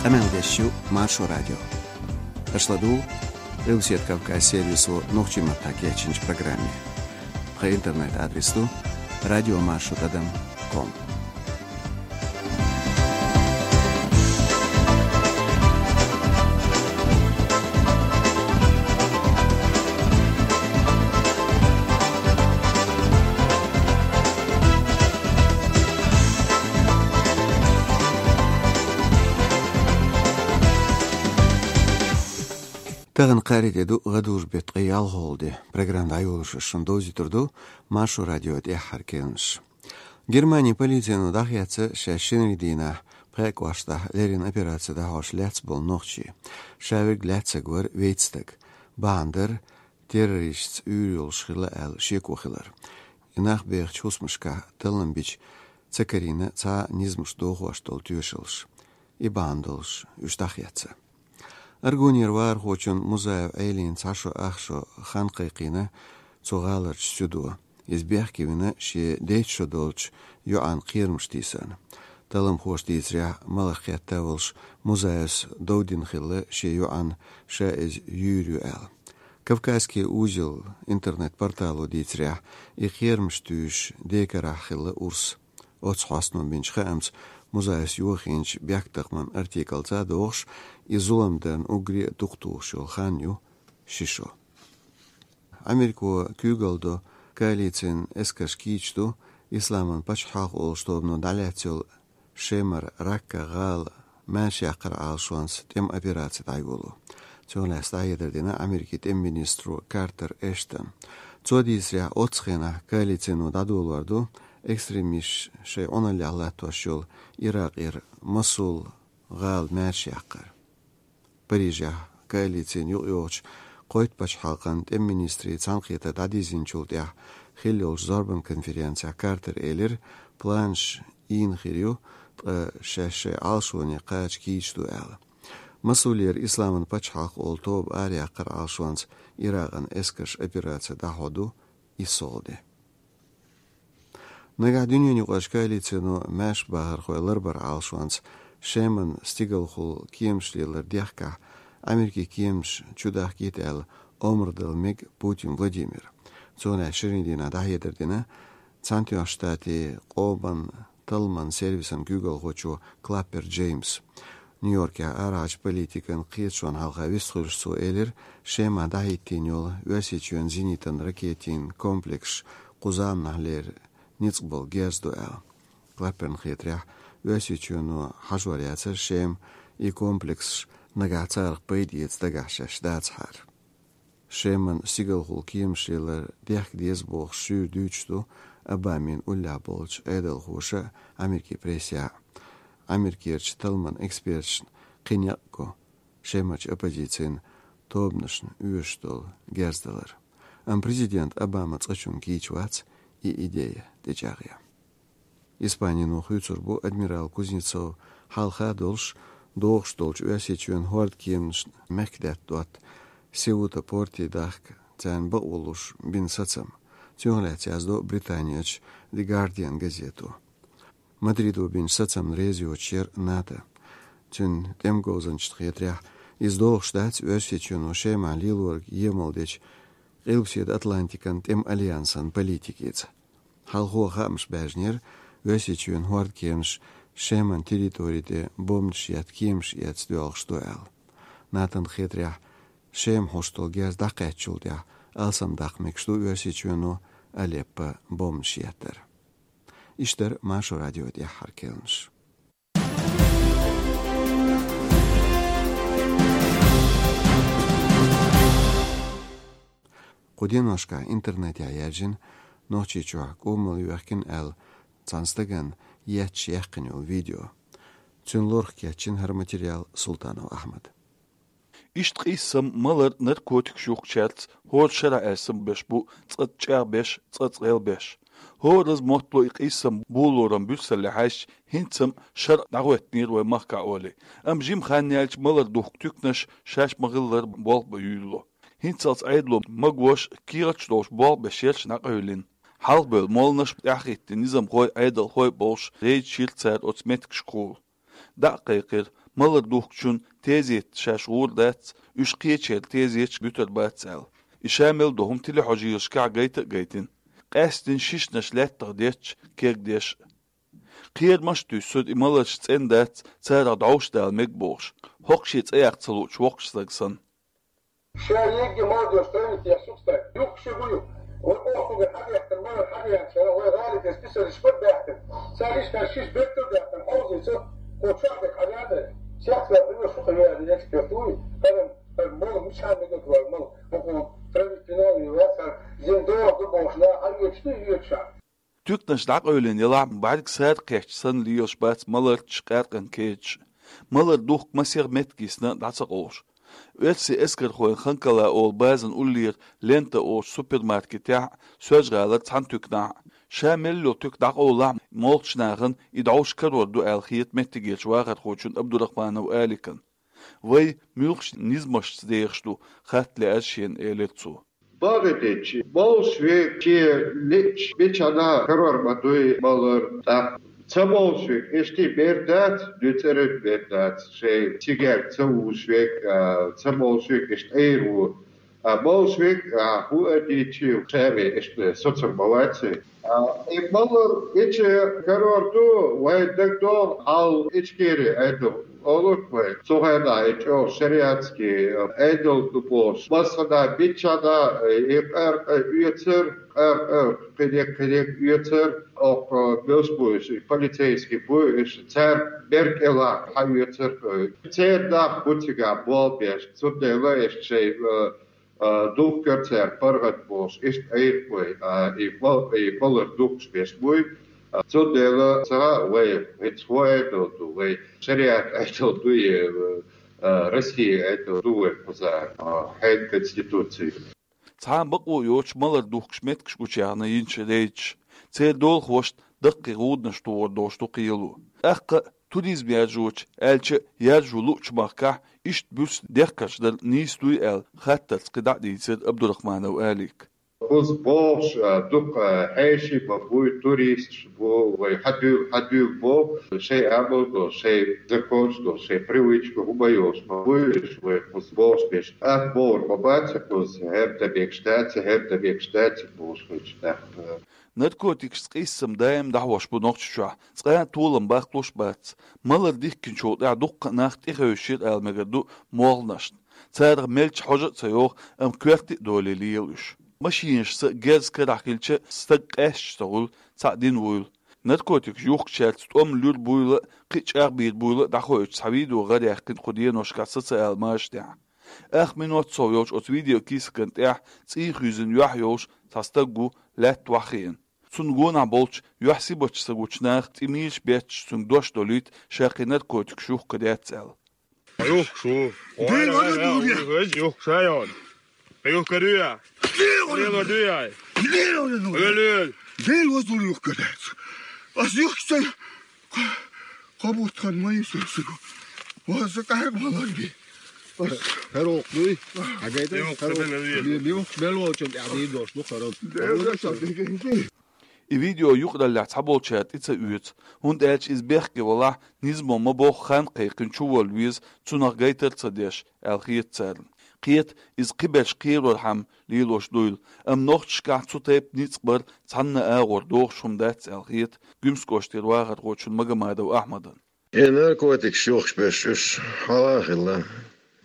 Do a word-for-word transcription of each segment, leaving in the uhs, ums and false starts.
Къамел деш ю Маршо радио. Аша ладугӀу Къилбаседа Кавказ сервисо нохчийн маттахь кечйинчу программе. Тхан интернет-адрес ду радиомаршо тӀадам ком. Тахана кхаарин де ду, гӀадужу беттан ткъе ялхолгӀа де. Программа дӀайолош шуна довзуьйтур ду Маршо радион тӀаьххьара керланаш. Германин полицино дӀахецна шаьш шинарин дийнахь пхеа кӀоштахь леррина операци дӀахьош лаьцна болу нохчий. Ша верг лаьцнарг вара вейтта стаг. Бахьана дара террористашца уьйр йолуш хилла аьлла шеко хилар. И нах бехачу хӀусамашкахь таллам бича ца карийна цхьа а низамаш дохош долу тоьшаллаш. И бахьана долуш уьш дӀахецна. Аргунера вахархочун Музаев Ӏелин цхьа шо ах шо хан кхайкхийна цу гӀаларчу суьдо. Иза бехке вина шен дейтта шо долчу йоӀан кхерамаш тийсарна. Талламхоша дийцарехь, маларх кхетта волуш Музаевс дов дина хилла шен йоӀанна, ша иза юьйр ю аьлла. «Кавказский узел» интернет-портало дийцарехь, и кхерамаш туьйсуш декарахь хилла урс. Оццу хьостано бинчу хаамца, Музаевс йохийначу бехктакхаман артиклаца а догӀуш, и зулам дарна уггаре а дукха тухуш йолу хан ю ши шо. Америко куьйгалла до коалицин эскарш кийча ду Исламан пачхьалкх олуш тобано дӀалаьцна йолу Шемара Ракка гӀала маьршаяккхаран Ӏалашонца тӀеман операци дӀайоло. Цунах лаьцна дӀахьедар дина Америкин тӀеман министро Картер Эштона. Цо дийцарехь, оццу хенахь коалицино дӀадолор ду экстремисташ шайн Ӏуналлехь латтош йолу Иракъера Мосул гӀала маьршаяккхар. Парижехь коалицина юкъайогӀучу кхойтта пачхьалкхан тӀеман министрийн цхьаьнакхетар дӀадирзинчул тӀаьхьа хилла йолчу зорбан конференцехь Картер элира, планаш ийна хир ю, ткъа шаьш шайн Ӏалашоне кхача кийча ду аьлла. Мосулера Исламан пачхьалкх олу тоба араяккхаран Ӏалашонца Иракъан эскарш операци дӀахьо ду исс олгӀа де. Нагахь дуьненаюкъарчу коалицино маьршабахархой ларбаран Ӏалашонца Шеман стигалхула кеманаш лелар дехкахь, Америкин кеманаш чудахкийта аьлла омра дала мега Путин Владимира. Цунах шинарин дийнахь дӀахьедар дина Цхьаьнатоьхначу Штатийн къоман талламан сервисан куьйгалхочо Клаппер Джеймса. Нью-Йоркехь арахьарчу политикан кхеташонна хьалха вистхуьлуш цо элира, Шемахь дӀахӀиттийна йолу Оьрсийчоьнан зенитан ракетийн комплекс кху заманахьлера ницкъ болу герз ду аьлла. Клапперна хетарехь, Оьрсийчоьно хьажор яцара Шема и комплексаш нагахь царах пайда эца дагахь шаьш дацахьара. Шеман стигалхула кеманаш лелар дехка деза бохуш шуьйра дуьйцуш ду Обамин уллехь болчу Ӏедалхоша а, Америкин прессехь а. Америкерчу талламан эксперташна кхин некъ го Шемарчу оппозицин тобанашна оьшуш долу герз далар. Амма президент Обама цкъачунна кийча вац и идея тӀечӀагӀъян. Испанино хуьйцур бу адмирал Кузнецов хьалха а долуш, догӀуш долчу Оьрсийчоьнан хӀордан кеманашна мехкдаьтта дотта Сеута порте дахка царна бакъволуш бина сацам. Цунах лаьцна яздо Британерчу The Guardian газето. Мадридо бинчу сацамна реза йоцуш яра НАТО. Цуьнан тӀеман говзанчашна хетарехь, иза догӀуш дац Оьрсийчоьно Шемахь лелориг емал дечу Къилбаседа Атлантикан тӀеман альянсан политикица. Хьалхо хаамаш баьржинера, Оьрсийчоьнан хӀордан кеманаш Шеман территори тӀе бомбанаш етта кеманаш эцна доьлхуш ду аьлла. НАТОн хетарехь, Шема хьош долу герз дӀакхаьччул тӀаьхьа алсамдаккха мегаш ду Оьрсийчоьно Алеппо бомбанаш еттар. Иштта дара Маршо радион тӀаьххьара керланаш. Кху деношкахь интернетехь яьржина Нохчийчохь кӀумал йоьхкина аьлла цхьана стагана етташ яьккхина йолу видео. Цуьнан лорах кечйина хӀара материал Султанов Ахьмада. Иштта къийсам, малар, наркотикаш юхкучаьрца хӀора шарахь аьсса беш бу цкъа чӀагӀбеш, цкъа гӀелбеш. ХӀораза моттало и къийсам болоран буьрсалле хьаьжча, хӀинца-м шарӀ дӀахӀоьттинера вай махкахь олий. Амма жима хан яьлча малар духку туьканаш шаьш ма-хиллара болх бан юьйлало. ХӀинццалц Ӏедало магош кехаташ долуш болх беш ерш дӀакъевлина. Хьалхабевлла молланаш, тӀаьхьахӀиттина низамхой, Ӏедалхой болуш, рейдаш йира цара оцу меттигашкахула. ДӀа а кхайкхира, Малар духкучун тезет шаьш гӀур дац, уьш кхечеран тезеташ буьтур бац аьлла. И ша мел ду хӀума телехьожаешкахь гайта а гайтина. Къаьстина шишнаш лаьттах детташ, кегдеш а. Кхерамаш а туьйсур, и маларш цӀена дац, царах дӀовш дала мега бохуш, хӀокху шен цӀе яккха ца луучу воккхачу стага санна. Ша егги молодёжь травитехь сукстай, юхкуш ю ю. Вай охьугар хьадаьхкина, малар хьадаьхкина, вай гӀалин дерг писариш бара даьхкина. Цара ишкара шиш беттар даьхкина, хьовзийца, кхо чохь дерг хьадаьхкина. Сехцара хӀума шуха веана эксперт вуй, хӀара, хӀара мала мичахь мегар вара, мала, хӀокху травитинал ю вац, хӀара зин догӀу ду бохуш, нах хьан оьцуш ду, оьцуш. Туьканаш дӀакъевлина елахь а, бӀаьрг сара кхетча санна лелаш бац маларчаш, къаьркъан кечаш. Малар духку масех меттиг йисна дӀа ца къовлуш. Оьрсийн эскархойн Ханкала олу базан уллера Лента олучу супермаркетехь а, Соьлжа-ГӀалара цхьана туьканахь а. Ша мел йолу туька дӀакъовлахь а, молхачу нахана и дӀовш карор ду аьлла хета меттигерчу вахархочунна Абдурахманов Аликана. Вай муьлхачу низамашца дехаш ду, хатта лаьара шена, элира цо. Бакъдерг дийцича, молуш верг шен лиъча мичахьа карор ма дуй малар, тӀаккха ца молуш верг иштта бер дац, дуьйцург бер дац, шайн цигаьрка ца вуьсуш верг, а, ца молуш верг иштта Ӏийр ву. А молуш верг, а, хӀун а дийцича, ша ве иштта соцур ма вац. А, и малар ича карор ду, вайн дагадогӀу, хьал Ичкери Ӏедал олург вай. Цу хенахь и чӀогӀа шариатский Ӏедал ду бохуш. Массанхьа миччахьа и къаьркъа оьцура, къаьркъа кхидерг, кхидерг оьцура, окху муьлш бу уьш, и полицейский бу уьш, цара берг кӀелахь хьаоьцура. Церан нах бу цигахь болх беш, цундела иштта шайн, а, а, духкура цара паргӀат бохуш, иштта Ӏийр вай, а, и мал-, и малар духкуш беш буй. А, цундела ца хаьа вай, хӀинца хӀун Ӏедал ду вай, шариат Ӏедал дуй, а, Россия Ӏедал ду вай кхузахь, а, хьенан конституци. Цхьа а бакъо йоцуш малар духкуш меттигаш гучуяьхна йинчу рейдаш. Церан долахошна даккхий гӀуданаш тухур долуш ду кхело. ТӀаккха а туризм яржочу, аьлча а яржо луучу махкахь иштта буьрса дехкарш дар нийса дуй аьлла, хаттарца кхин дӀа а дийцира Абдурахманов Алика. Кхуза бохуш, а, дукха, а, хьеший бан буй, туристаш бу, вай хьадуьйла, хьадуьйла боху, шайн амал долуш, шайн законаш долуш, шайн привычка хӀума йолуш бан буй уьш, вай кхуза бохуш беш. ТӀаккха бохург ма бац кхуза, хӀара дан мегаш дац, хӀара дан мегаш дац бохуш хилча тӀаккха. Наркотикашца къийсам даим дӀахьош бу Нохчийчохь, цкъа а толам баккхалуш а бац. Малар дихкинчул тӀаьхьа дуккха а нах тӀехевшира ала мегар ду молханашна. Царах мелча хьожа а ца йогӀу, амма коьрте а долий лела уьш. Машинашца герз карахь хилча, стаг къаьсташ ца хуьлу, цхьаъ дина вуйла. Наркотикаш юхкучаьрца тӀом луьра буйла а, кхин а чӀагӀбийра буйла а дӀахоуьйтуш цхьа видео гӀараяьккхина кху деношкахь социал машанехь. Ах минот сов йолчу оцу видеокийсакан тӀехь цӀий хуьйзина юьхь йолуш цхьа стаг ву, лаьтта охьахиъна. Цунна гонахь болчу юьхь сибача ца гучу наха тӀе мийраш бетташ цуьнга дош долуьйту, ша кхин наркотикаш юхкур яц аьлла. Юхкуш ву. Дела, вара, вара, вара, вара, юхкуш а йогӀу. Юхкур ю я? Дела, вара, вара, ю я? Дела, вара, вара. Эл, эл. Дела, вара, вара, юхкур яц. Ас юхкуш ца Кхо-, кхо бутт хан ма ю суна. Ваза къаьрга ма лар би. ХӀара воккха дуй? Хьан гайта? Юхкуш хӀара воккха. Мел волчун тӀехь дийр долуш ду хӀара. Дела, дела, дела. И видео юкъараллехь цхьаболчара тӀе ца оьцу, хӀунда аьлча иза бехке валахь, низамо ма бохху, хан кхайкхина чуволла веза, цунах гайтар а ца деш, аьлла хета царна. Кхета, иза кхиберш кхерорхьама лелош дуйла, амма нохчашкахь цу тайпа ницкъ бар цхьанна а агӀор дохуш хӀума дац аьлла хета Гуьмсан кӀоштара вахархочун Магомадов Ахьмадан. И наркотикаш юхкуш берш уьш хьалха а хилла,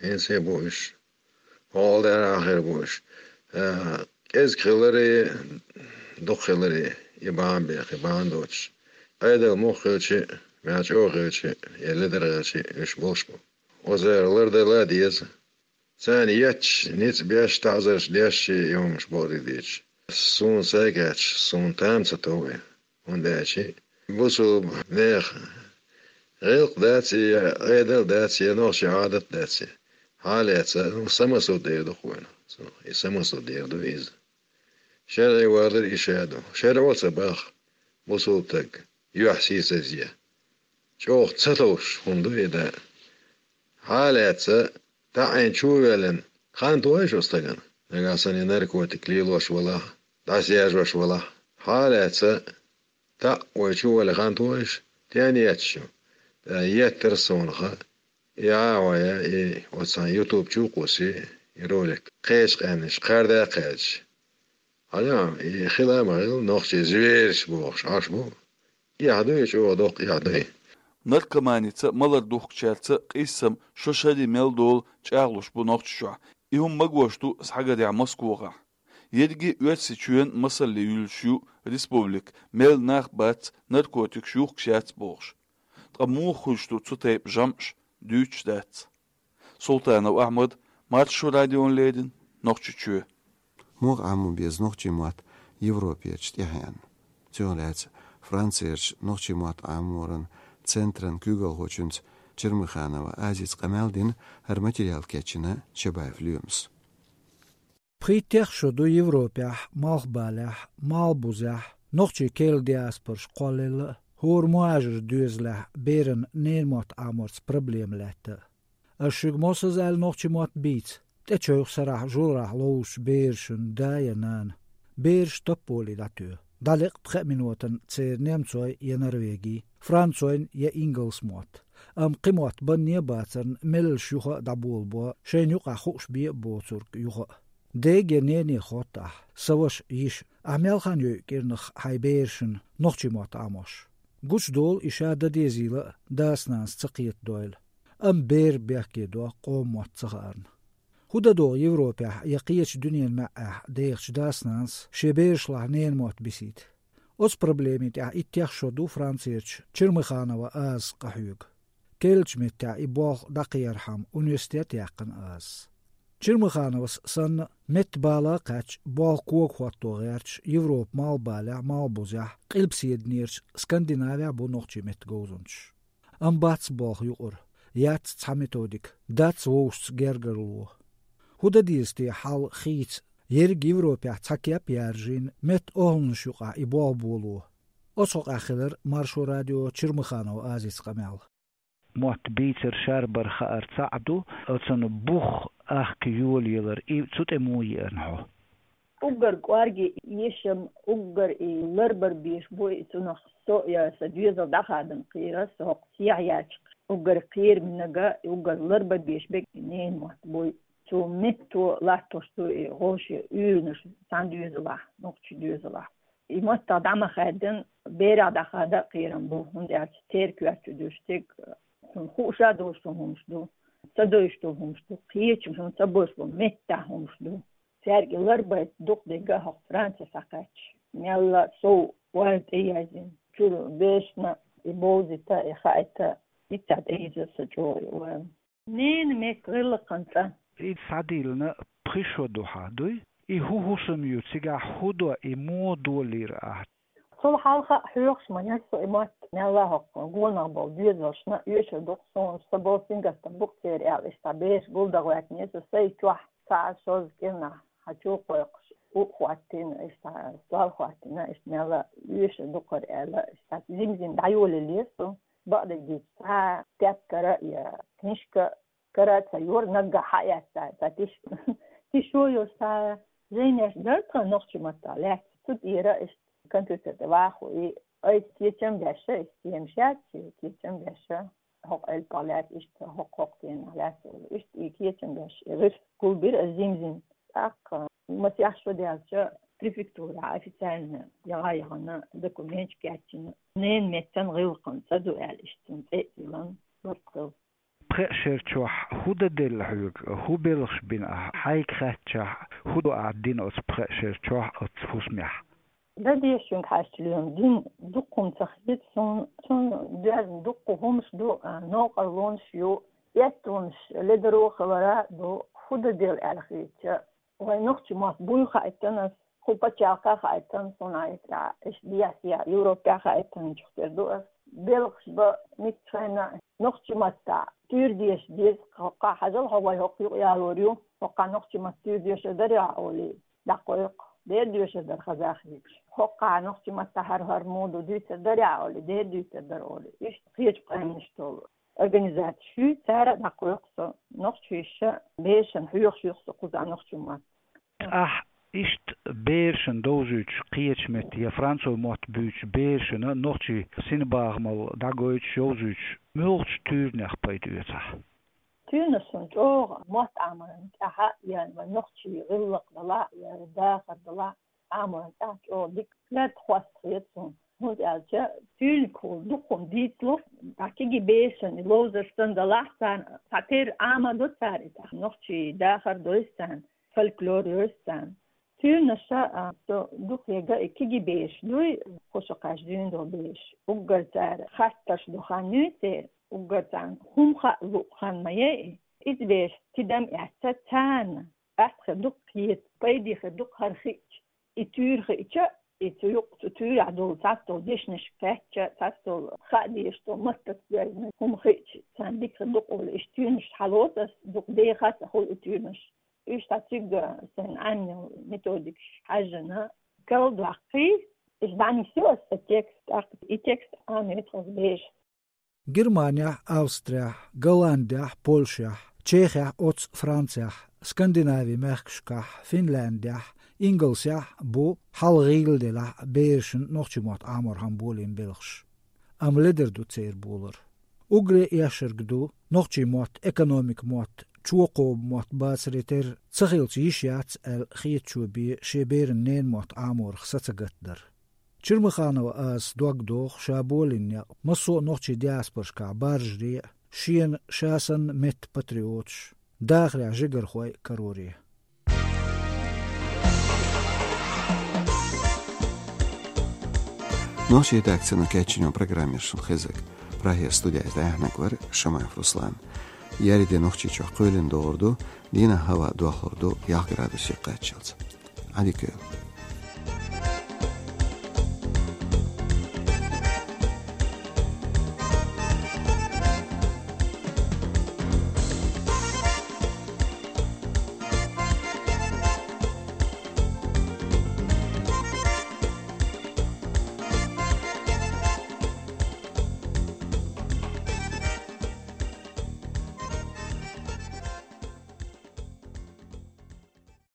хӀинца а бу уьш, хьалха дера а хир бу уьш. Э, кӀезиг хиларе, дукха хиларе, и бахьана беха, и бахьана доцуш. Ӏедал муха хилча а, мел чӀогӀа хилча а, я ледара хилча а, уьш болуш бу. Озера лардала а деза. Царна етташ, ницкъ беш, таӀзарш деш, и хӀумаш бакъдерг дийцича. Суна сайгахь, суна там ца тов и. ХӀунда аьлча бусулба нехан гӀиллакх дац и, я Ӏедал дац, я нохчийн Ӏадат дац и. Хьалаьцна, ну, самосуд эр ду-кх вайна. И самосуд эр ду иза. ШарӀе валар и ша ду. ШарӀо ца боху бусулба стаг юьхь сийсазъян. ЧӀогӀа ца товш хӀума ду и, да. Хьалаьцна, таӀийна чу а ваьллина, хан тохий оцу стагана? Нагахь санна и наркотик лелош валахь, дӀасаяьржош валахь. Хьалаьцна, таӀ вай чу а ваьлла, хан тохий? Стенна етташ ю? Ткъа еттара суна хан. И гӀа вая, и оцан ютуб чу кхуси, и ролик. Кхеча къаьнаш, кхарда кхаьча. Хьаля, и хила ма хила, нохчий зверш бохуш, Ӏаш бу. Эхь дуй, чӀогӀа доккха эхь дуй. Наркоманица а, малар духкучаьрца а къийсам шо шаре мел долу чӀагӀлуш бу Нохчийчохь. И хӀума магош ду схьагарехь Москвахь. Ерриге а Оьрсийчоьнан масалле юьллуш ю республика, мел нах бац наркотикаш юхкуш яц бохуш. Ткъа муха хуьлуш ду цу тайпа жамӀаш, дуьйцуш дац. Султанов Ахьмад, Маршо радиона леррина, Нохчийчоь. Муха Ӏамо беза нохчийн мотт Европерчу тӀаьхьенна? Цунах лаьцна Францерчу нохчийн мотт Ӏаморан центран куьйгалхочуьнца Чермыханова Азица къамел дина, хӀара материал кечйина Чабаев Лоьмас. Пхийттех шо ду Европехь, Малхбалехь, Малхбузехь нохчийн керла диаспораш кхоллаелла а, хӀора мухӀажарийн доьзалехь беран ненан мотт Ӏаморца проблема лаьтта а. Ас шуьга моссаза аьлла нохчийн мотт бийца, тӀечойх сарахь журарахь ловзучу берашна да я нана. Бераш тапполе дӀатоь. ДӀалекъа пхеа минотана церан немцойн я норвегийн, францойн я ингалсан мотт. Амма кхин мотт банне а бацарна, меллаша юха а дӀаболабо, шайна юкъахь хууш бен а боцург юха а. Дега я нене хоттахь, сан ваша, йиша, ахь мел хан йойу кӀирнах хьайн берашна нохчийн мотт Ӏамош? Гучудолу и ша дан дезийла а, дас-нанас ца кхетадойла. Амма бер бехке до, къоман мотт ца хаарна. ХӀун дан догӀу Европехь я кхечу дуьненан маьӀӀехь дехачу дас-нанас шен берашлахь ненан мотт бисийта? Оцу проблемин тӀехь иттех шо ду Францерчу Чермыханова Азас къахьоьгу. Керлачу меттехь и болх дӀакхерхьама университет а яьккхина Азас. Чермыхановас санна, меттан бала а кхаьчча, болх кога хӀотто гӀерташ Европан Малхбалехь, Малхбузехь, Къилбаседа Нерчу Скандинавехь бу нохчийн меттан говзанчаш. Амма бац болх юкъара, яц цхьа методика, дац вовшашца гергарло. ХӀун дан деза те хьал хийца, ерриг Европехь цхьа кеп а яржийна, меттан охӀланаш юкъахь и болх боло? Оцу хьокъехь хилира Маршо радион Чермыханова Азица къамел. Мотт бийцар, шарбар хаар цхьаъ ду, оцунна бух ахка йолаялар, и цу тӀе муха еана хьо? Уггар кӀорге эшам, уггар и ларбар беш бу, и цунах со я сан доьзал дӀахадам кхийра, со хӀокху сехьа яьлча, уггар кхерамнага, уггар ларбан беш берг и ненан мотт буй. Цу метто латтош ду и гӀошан уьйранаш цхьана доьзалахь, нохчийн доьзалахь. И маттах дӀа ма хаьддина, берах дӀахада а кхерам бу, хӀунда аьлча церан коьрта чу дуьйш дерг, цунна хууш а долуш долу хӀумаш ду, ца девзаш долу хӀумаш ду, кхечу хӀума ца бовзуш болу меттахь хӀумаш ду. Цаьрга и ларбайта дукха дерг а хӀокху Франце схьакхаьчча, мелла а сов ойла тӀеяздина, чуьра бешна и бовзийта, и хаийта, диццахь тӀеийзира сан чӀогӀа и ойла. Ненан меттан гӀиллакхан цӀа. И схьадийлина пхи шо ду хьан, дуй? И хӀун хӀусам ю, цигахь хӀун до, и муха долийра ахь? Цул хьалха а хьоьхуш ма яра со и мотт, мелла а хӀокху гонах болу доьзалшна оьшур ду-кх суна, сан болу сингаттам бу-кх церан аьлла, иштта бераш гулдагӀа ваьтнера со, сайн чохь цхьа а шозза кӀирнахь хьан чу кхойкхуш, у а хӀоттийна, иштта стол хӀоттийна, иштта мелла а оьшур ду-кх хӀара аьлла, иштта жим-жим дӀайолаелира со. Бакъдерг дийцича, цхьа тептар а я книжка кара а ца йора, наггахь хьаэцна цхьа тиш-, тишо йолуш цхьа жайнаш дара тхан нохчийн маттахь лаьцна. Цу тӀера иштта компьютер тӀе вахо и айса кечам беш, и схемаш яц, кечам беш, хӀокху элпах лаьцна иштта, хӀокху-хӀокху денах лаьцна. Иштта и кечам беш, и гӀирс гулбира ас жим-жим. ТӀаккха масех шо даьлча, префектурахь официально яха яхана документаш кечйина, ненан меттан гӀиллакхан цӀа ду аьлла, иштта цунна цӀе а тиллина, барт хилла. Пхеа шер чохь хӀун дан делла хьоьга, хӀун белхаш бина ахь, хьайга хаьттичахь, хӀун ду ахь дина оцу пхеа шер чохь оцу хӀусамехь? Дан деза шуьга хьаьжча, Лоьма, дина дуккха хӀума ца хета суна, суна доьзна дуккха хӀумаш ду, а, новкъарлонаш ю, эттонаш ледаро хилар а ду, хӀун дан делла аьлла хетча, вайн нохчийн мотт буй хаийтина ас, кху пачхьалкхехь хаийтина суна, иштта Европехь хаийтина чух тера ду ас. Белхаш бан миччахьа а, нохчийн маттахь туьйра деша деза, хӀокхахь хьажал, хьо вай хӀокху юкъа ялор ю, хӀокхахь нохчийн маттахь туьйра дешар дарий ахь олий, дӀакхойкху, дера доьшур дара хаза хеташ. ХӀокхахь нохчийн маттахь хӀара-хӀара ма ду, дуьйцур дарий ахь олий, дера дуьйцур дара олий. Иштта кхечу къаьмнашца долу организацеш ю, цара а дӀакхойкху со, нохчаша берашна хьоьхуш ю-кх со кхузахь нохчийн мотт. Ахь иштта берашна довзуьйтуш кхечу меттан я францойн мотт буьйцучу берашна нохчийн синбахамалла дӀагойтуш, йовзуьйтуш, муьлхачу туьйранех пайда оьцу ахь? Туьйранаш суна чӀогӀа мотт Ӏаморан тӀехь а, ян вайн нохчийн гӀиллакх далахь а, я дахар далахь а, Ӏаморан тӀехь а чӀогӀа дика лаьтта хьоста хета суна. ХӀунда аьлча туьйранашкахула дукха хӀума дийцалу, цхьа кегий берашна и ловзар санна далахь а царна, цхьатерра Ӏамадо цара и, цхьа нохчийн дахар дойса царна, фольклор йойса царна. Туьйранаша, а, со дукха яга и кегий бераш дуй, кху шо кхаьчча дуьйна долу бераш. Уггар цара хаттарш ду хан юй церан, уггар царна хӀума хаа луъу хан ма яй и. Иза бераш тидам эцча царна, атта хир ду-кх кхета, пайде хир ду-кх хӀара хиъча. И туьйра хиъча, и цу юкъ-, цу туьйрахь долу цхьацдолу дешнаш кхаьчча, цхьацдолу хаа дезаш долу маттаца доьзна хӀума хиъча, царна дика хир ду-кх олий, иштта туьйранаш хьалоцу ас, дукха деха аса хуьлу и туьйранаш. Уьш цхьа цигга сайн Ӏемина методикаш хьаьжжина, карладоккхий, иза дӀанисйо аса текст, тӀаккха и текст Ӏамийра тхо берашна. Германехь, Австрехь, Голландехь, Польшехь, Чехехь, оццу Францехь, Скандинавин мехкашкахь, Финляндехь, Ингалсехь бу хьалха гӀийла делахь а берашна нохчийн мотт Ӏаморхьама болийна белхаш. Амма ледара ду церан болар. Уггаре эшнарг ду, нохчийн мотт экономикан мотт, чокхо мотт бацаре терра ца хилча йиш яц аьлла хетачо бен шен берана ненан мотт Ӏаморах са ца гатдар. Чермаханова Азас дог доху ша болийна некъ массо а нохчийн диаспорашкахь баржаре а, шена ша санна меттан патриоташ, дахарехь жигархой а кароре. Нохчийн редакцино кечйина программа яра шуна хезарг. Прагера студехь дӀаяьхьнарг вара Шамаев Руслан. Еарин де Нохчийчохь кхоьлина догӀур ду, дийнахь хӀаваъ дохлур ду ялх градусе кхаччалц. Ӏадика йойла.